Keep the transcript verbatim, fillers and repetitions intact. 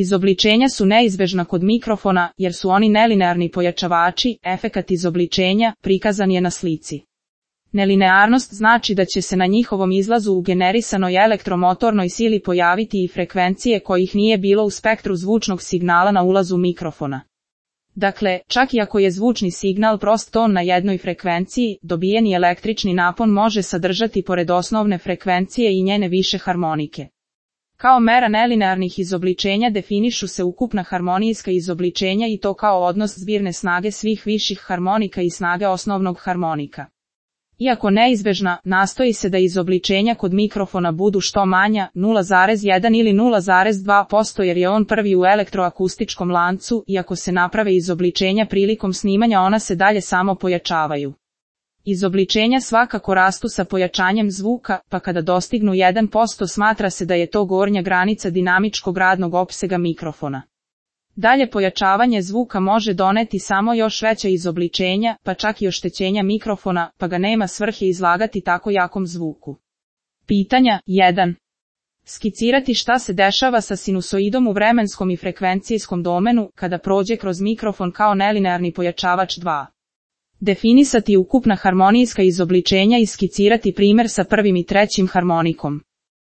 Izobličenja su neizbežna kod mikrofona jer su oni nelinearni pojačavači, efekat izobličenja prikazan je na slici. Nelinearnost znači da će se na njihovom izlazu u generisanoj elektromotornoj sili pojaviti i frekvencije kojih nije bilo u spektru zvučnog signala na ulazu mikrofona. Dakle, čak i ako je zvučni signal prost ton na jednoj frekvenciji, dobijeni električni napon može sadržati pored osnovne frekvencije i njene više harmonike. Kao mera nelinearnih izobličenja definišu se ukupna harmonijska izobličenja i to kao odnos zbirne snage svih viših harmonika i snage osnovnog harmonika. Iako neizbežna, nastoji se da izobličenja kod mikrofona budu što manja, nula zarez jedan ili nula zarez dva posto jer je on prvi u elektroakustičkom lancu, i ako se naprave izobličenja prilikom snimanja ona se dalje samo pojačavaju. Izobličenja svakako rastu sa pojačanjem zvuka, pa kada dostignu jedan posto smatra se da je to gornja granica dinamičkog radnog opsega mikrofona. Dalje pojačavanje zvuka može doneti samo još veća izobličenja, pa čak i oštećenja mikrofona, pa ga nema svrhe izlagati tako jakom zvuku. Pitanja jedan. Skicirati šta se dešava sa sinusoidom u vremenskom i frekvencijskom domenu kada prođe kroz mikrofon kao nelinearni pojačavač dva. Definisati ukupna harmonijska izobličenja i skicirati primjer sa prvim i trećim harmonikom.